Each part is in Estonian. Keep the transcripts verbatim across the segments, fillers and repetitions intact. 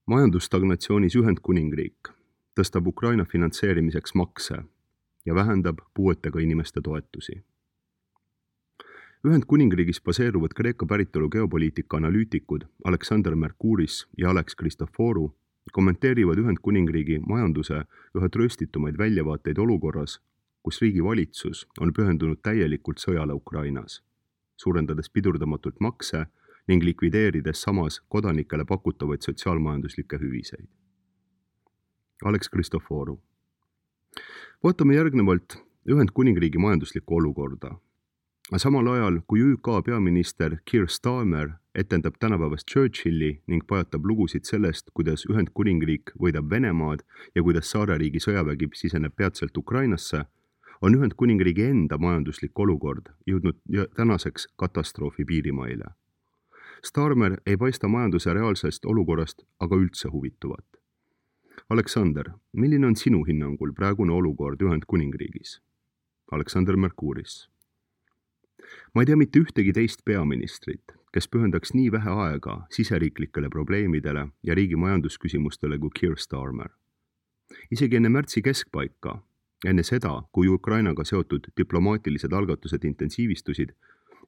Majandusstagnatsioonis Ühendkuningriik tõstab Ukraina finantseerimiseks makse ja vähendab puuetega inimeste toetusi. Ühendkuningriigis baseeruvad Kreeka päritolu geopoliitika analüütikud Alexander Mercouris ja Alex Christoforou kommenteerivad Ühendkuningriigi majanduse üha trööstitumaid väljavaateid olukorras, kus riigi valitsus on pühendunud täielikult sõjale Ukrainas, suurendades pidurdamatult makse ning likvideerides samas kodanikele pakutavaid sotsiaalmajanduslikke hüviseid. Alex Christoforou. Vaatame järgnevalt Ühendkuningriigi majanduslikku olukorda. Samal ajal, kui Ü K peaminister Keir Starmer etendab tänapäevast Churchilli ning pajatab lugusid sellest, kuidas Ühendkuningriik võidab Venemaad ja kuidas saareriigi sõjavägi siseneb peatselt Ukrainasse, on Ühendkuningriigi enda majanduslik olukord jõudnud tänaseks katastroofi piirimaile. Starmer ei paista majanduse reaalsest olukorrast aga üldse huvituvat. Alexander, milline on sinu hinnangul praegune olukord Ühendkuningriigis? Alexander Mercouris. Ma ei tea mitte ühtegi teist peaministrit, kes pühendaks nii vähe aega siseriiklikele probleemidele ja riigi majandusküsimustele kui Keir Starmer. Isegi enne märtsi keskpaika, enne seda, kui Ukrainaga seotud diplomaatilised algatused intensiivistusid,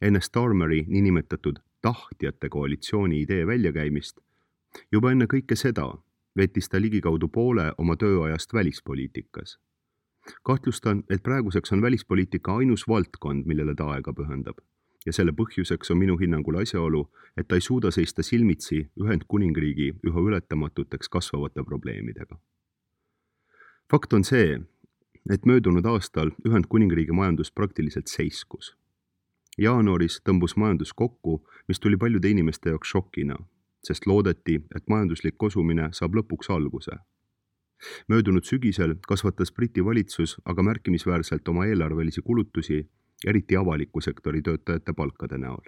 enne Starmeri niinimetatud tahtjate koalitsiooni idee väljakäimist, juba enne kõike seda veetis ta ligikaudu poole oma tööajast välispoliitikas. Kahtlustan, et praeguseks on välispoliitika ainus valdkond, millele ta aega pühendab. Ja selle põhjuseks on minu hinnangul asjaolu, et ta ei suuda seista silmitsi Ühendkuningriigi üha ületamatuteks kasvavate probleemidega. Fakt on see, et möödunud aastal Ühendkuningriigi majandus praktiliselt seiskus. Jaanuaris tõmbus majandus kokku, mis tuli paljude inimeste jaoks šokina, sest loodeti, et majanduslik kosumine saab lõpuks alguse. Möödunud sügisel kasvatas Briti valitsus aga märkimisväärselt oma eelarvelisi kulutusi, eriti avaliku sektori töötajate palkade näol.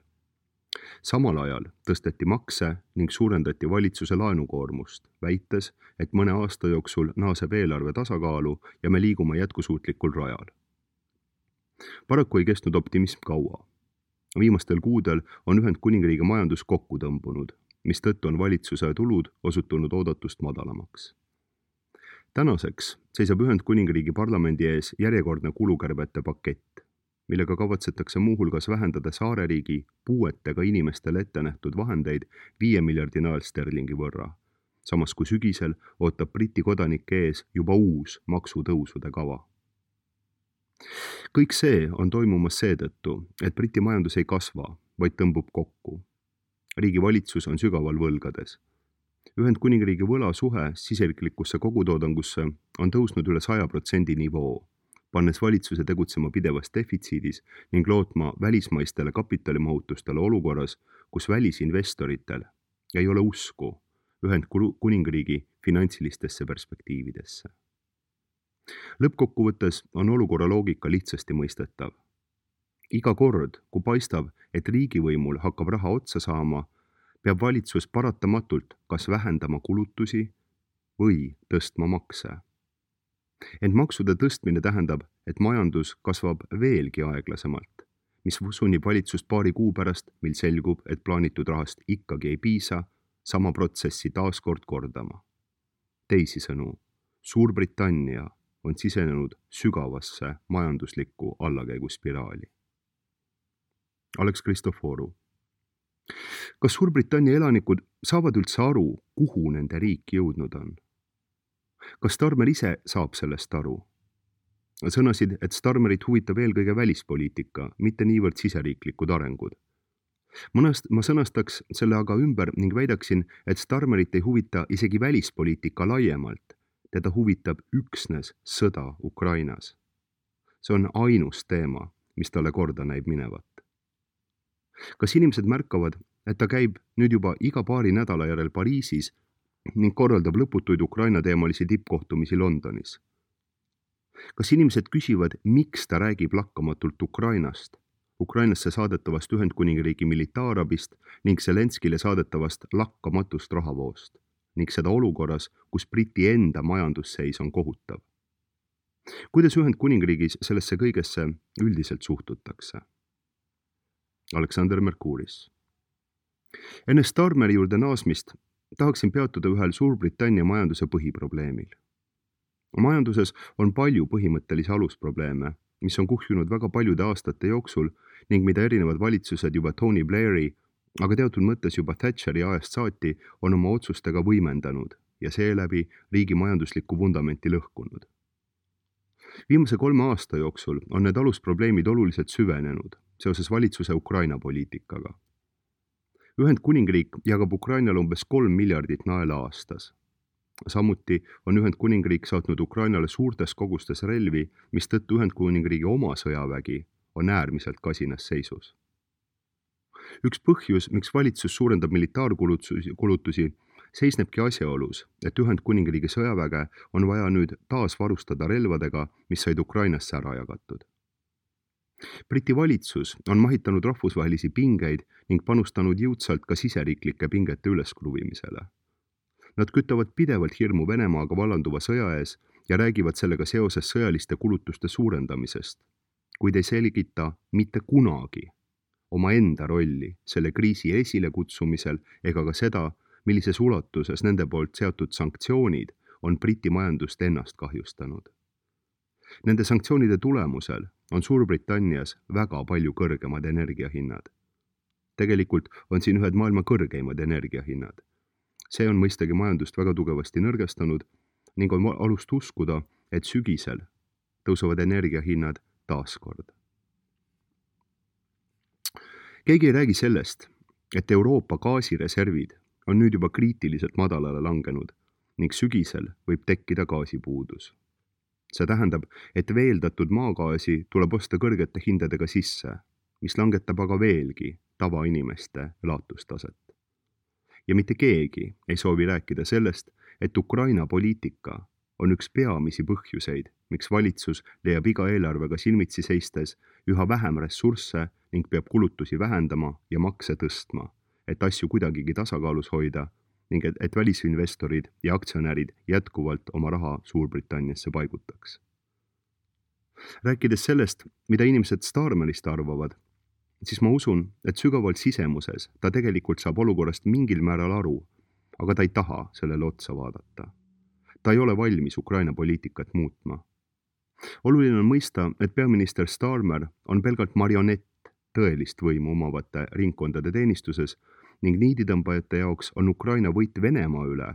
Samal ajal tõsteti makse ning suurendati valitsuse laenukoormust, väites, et mõne aasta jooksul naaseb eelarve tasakaalu ja me liigume jätkusuutlikul rajal. Paraku ei kestnud optimism kaua. Viimastel kuudel on Ühendkuningriigi majandus kokku tõmbunud, mistõttu on valitsuse tulud osutunud oodatust madalamaks. Tänaseks seisab Ühendkuningriigi parlamendi ees järjekordne kulukärbete pakett, millega kavatsetakse muuhulgas vähendada saareriigi puuetega inimestele ette nähtud vahendeid viie miljardi nael sterlingi võrra, samas kui sügisel ootab Briti kodanike ees juba uus maksutõusude kava. Kõik see on toimumas seetõttu, et Briti majandus ei kasva, vaid tõmbub kokku. Riigi valitsus on sügaval võlgades. Ühendkuningriigi võla suhe siseriklikusse kogutoodangusse on tõusnud üle saja protsendi nivoo, pannes valitsuse tegutsema pidevas defitsiidis ning lootma välismaistele kapitalimahutustele olukorras, kus välisinvestoritel ei ole usku Ühendkuningriigi finantsilistesse perspektiividesse. Lõppkokkuvõttes on olukorra loogika lihtsasti mõistetav. Iga kord, kui paistab, et riigivõimul hakkab raha otsa saama, peab valitsus paratamatult kas vähendama kulutusi või tõstma makse. Ent maksude tõstmine tähendab, et majandus kasvab veelgi aeglasemalt, mis sunnib valitsust paari kuu pärast, mil selgub, et plaanitud rahast ikkagi ei piisa, sama protsessi taaskord kordama. Teisisõnu, Suurbritannia on sisenenud sügavasse majanduslikku allakäiguspiraali. Alex Christoforou. Kas Suurbritannia elanikud saavad üldse aru, kuhu nende riik jõudnud on? Kas Starmer ise saab sellest aru? Sõnasid, et Starmerit huvitab eelkõige välispoliitika, mitte niivõrd siseriiklikud arengud. Mõnest, ma sõnastaks selle aga ümber ning väidaksin, et Starmerit ei huvita isegi välispoliitika laiemalt. Teda huvitab üksnes sõda Ukrainas. See on ainus teema, mis talle korda näib minevat. Kas inimesed märkavad, et ta käib nüüd juba iga paari nädala järel Pariisis ning korraldab lõputuid Ukraina teemalisi tippkohtumisi Londonis? Kas inimesed küsivad, miks ta räägib lakkamatult Ukrainast, Ukrainasse saadetavast Ühendkuningriigi militaarabist ning Zelenskile saadetavast lakkamatust rahavoost ning seda olukorras, kus Briti enda majandusseis on kohutav? Kuidas Ühendkuningriigis sellesse kõigesse üldiselt suhtutakse? Alexander Mercouris. Enne Starmeri juurde naasmist tahaksin peatuda ühel Suurbritannia majanduse põhiprobleemil. Majanduses on palju põhimõttelisi alusprobleeme, mis on kuhjunud väga paljude aastate jooksul ning mida erinevad valitsused juba Tony Blairi, aga teatud mõttes juba Thatcheri ajast saati on oma otsustega võimendanud ja seeläbi riigi majanduslikku vundamenti lõhkunud. Viimase kolme aasta jooksul on need alusprobleemid oluliselt süvenenud seoses valitsuse Ukraina poliitikaga. Ühendkuningriik jagab Ukrainale umbes kolm miljardit naela aastas. Samuti on Ühendkuningriik saatnud Ukrainale suurtes kogustes relvi, mis tõttu Ühendkuningriigi oma sõjavägi on äärmiselt kasinas seisus. Üks põhjus, miks valitsus suurendab militaarkulutusi, seisnebki asjaolus, et Ühendkuningriigi sõjaväge on vaja nüüd taas varustada relvadega, mis said Ukrainasse ära jagatud. Briti valitsus on mahitanud rahvusvahelisi pingeid ning panustanud jõudsalt ka siseriiklike pingete üleskruvimisele. Nad kütavad pidevalt hirmu Venemaaga vallanduva sõja ees ja räägivad sellega seoses sõjaliste kulutuste suurendamisest, kuid ei selgita mitte kunagi oma enda rolli selle kriisi esile kutsumisel ega ka seda, millises ulatuses nende poolt seatud sanktsioonid on Briti majandust ennast kahjustanud. Nende sanktsioonide tulemusel on Suurbritannias väga palju kõrgemad energiahinnad. Tegelikult on siin ühed maailma kõrgeimad energiahinnad. See on mõistagi majandust väga tugevasti nõrgestanud ning on alust uskuda, et sügisel tõusevad energiahinnad taaskord. Keegi ei räägi sellest, et Euroopa gaasireservid on nüüd juba kriitiliselt madalale langenud ning sügisel võib tekkida gaasipuudus. See tähendab, et veeldatud maagaasi tuleb osta kõrgete hindadega sisse, mis langetab aga veelgi tavainimeste elatustaset. Ja mitte keegi ei soovi rääkida sellest, et Ukraina poliitika on üks peamisi põhjuseid, miks valitsus leiab iga eelarvega silmitsi seistes üha vähem ressursse ning peab kulutusi vähendama ja makse tõstma, et asju kuidagigi tasakaalus hoida ning et, et välisinvestorid ja aktsionärid jätkuvalt oma raha Suurbritanniasse paigutaks. Rääkides sellest, mida inimesed Starmerist arvavad, siis ma usun, et sügavalt sisemuses ta tegelikult saab olukorrast mingil määral aru, aga ta ei taha sellele otsa vaadata. Ta ei ole valmis Ukraina poliitikat muutma. Oluline on mõista, et peaminister Starmer on pelgalt marionett tõelist võimu omavate ringkondade teenistuses ning niiditõmbajate jaoks on Ukraina võit Venemaa üle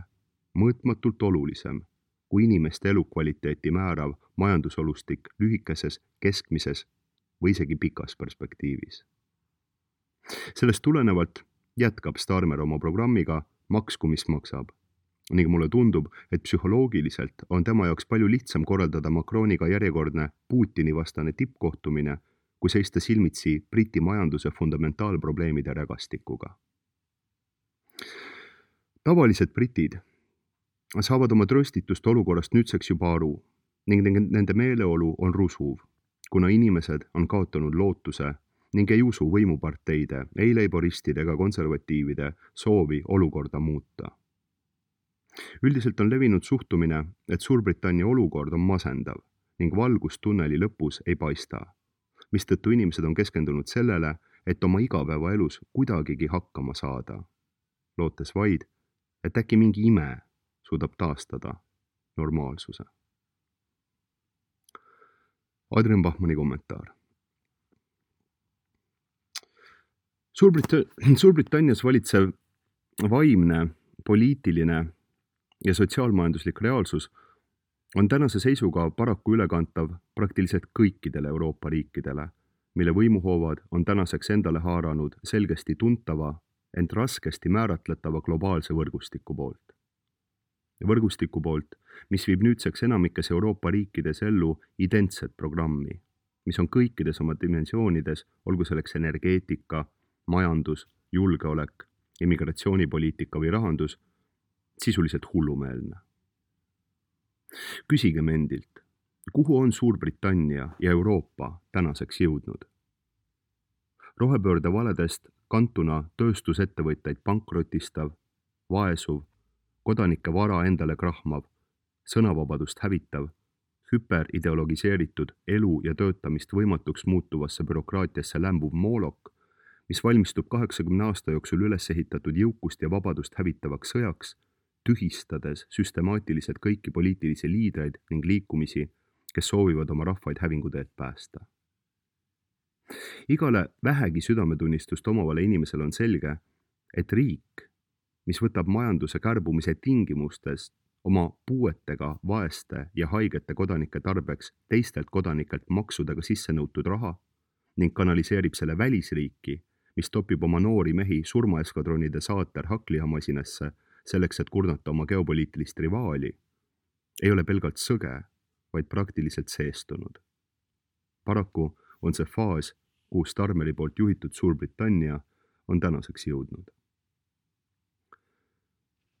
mõõtmatult olulisem kui inimeste elukvaliteeti määrav majandusolustik lühikeses, keskmises või isegi pikas perspektiivis. Sellest tulenevalt jätkab Starmer oma programmiga maksku, mis maksab. Ning mulle tundub, et psühholoogiliselt on tema jaoks palju lihtsam korraldada Macroniga järjekordne Putini vastane tippkohtumine, kui seista silmitsi Briti majanduse fundamentaalprobleemide rägastikuga. Tavalised britid saavad oma tröstitust olukorrast nüüdseks juba aru ning nende meeleolu on rusuv, kuna inimesed on kaotanud lootuse ning ei usu võimuparteide, ei leiboristide ega konservatiivide soovi olukorda muuta. Üldiselt on levinud suhtumine, et Suurbritannia olukord on masendav ning valgust tunneli lõpus ei paista, mistõttu inimesed on keskendunud sellele, et oma igapäevaelus kuidagigi hakkama saada, lootes vaid, et äkki mingi ime suudab taastada normaalsuse. Adrian Bachmanni kommentaar. Suurbrit- Suurbritannias valitsev vaimne, poliitiline ja sotsiaalmajanduslik reaalsus on tänase seisuga paraku ülekantav praktiliselt kõikidele Euroopa riikidele, mille võimuhoovad on tänaseks endale haaranud selgesti tuntava, ent raskesti määratletava globaalse võrgustiku poolt. Võrgustiku poolt, mis viib nüüdseks enamikes Euroopa riikides ellu identset programmi, mis on kõikides oma dimensioonides, olgu selleks energeetika, majandus, julgeolek, immigratsioonipoliitika või rahandus, sisuliselt hullumeelne. Küsigem endilt, kuhu on Suurbritannia ja Euroopa tänaseks jõudnud? Rohepöörde valedest kantuna tööstusettevõtteid pankrotistav, vaesuv, kodanike vara endale krahmav, sõnavabadust hävitav, hüperideologiseeritud elu ja töötamist võimatuks muutuvasse bürokraatiasse lämbuv moolok, mis valmistub kaheksakümne aasta jooksul üles ehitatud jõukust ja vabadust hävitavaks sõjaks, tühistades süstemaatiliselt kõiki poliitilisi liidreid ning liikumisi, kes soovivad oma rahvaid hävinguteelt päästa. Igale vähegi südametunnistust omavale inimesele on selge, et riik, mis võtab majanduse kärbumise tingimustes oma puuetega, vaeste ja haigete kodanike tarbeks teistelt kodanikelt maksudega sisse nõutud raha ning kanaliseerib selle välisriiki, mis topib oma noori mehi surmaeskadronide saater hakklihamasinasse selleks, et kurnata oma geopoliitilist rivaali, ei ole pelgalt sõge, vaid praktiliselt seestunud. Paraku on see faas, kuhu Starmeri poolt juhitud Suurbritannia on tänaseks jõudnud.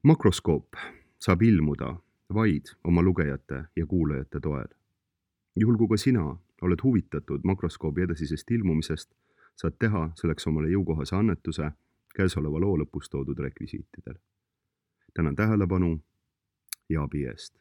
Makroskoop saab ilmuda vaid oma lugejate ja kuulajate toel. Juhul kui ka sina oled huvitatud makroskoobi edasisest ilmumisest, saad teha selleks omale jõukohase annetuse käesoleva loo lõpus toodud rekvisiitidel. Tänan tähelepanu ja abi eest.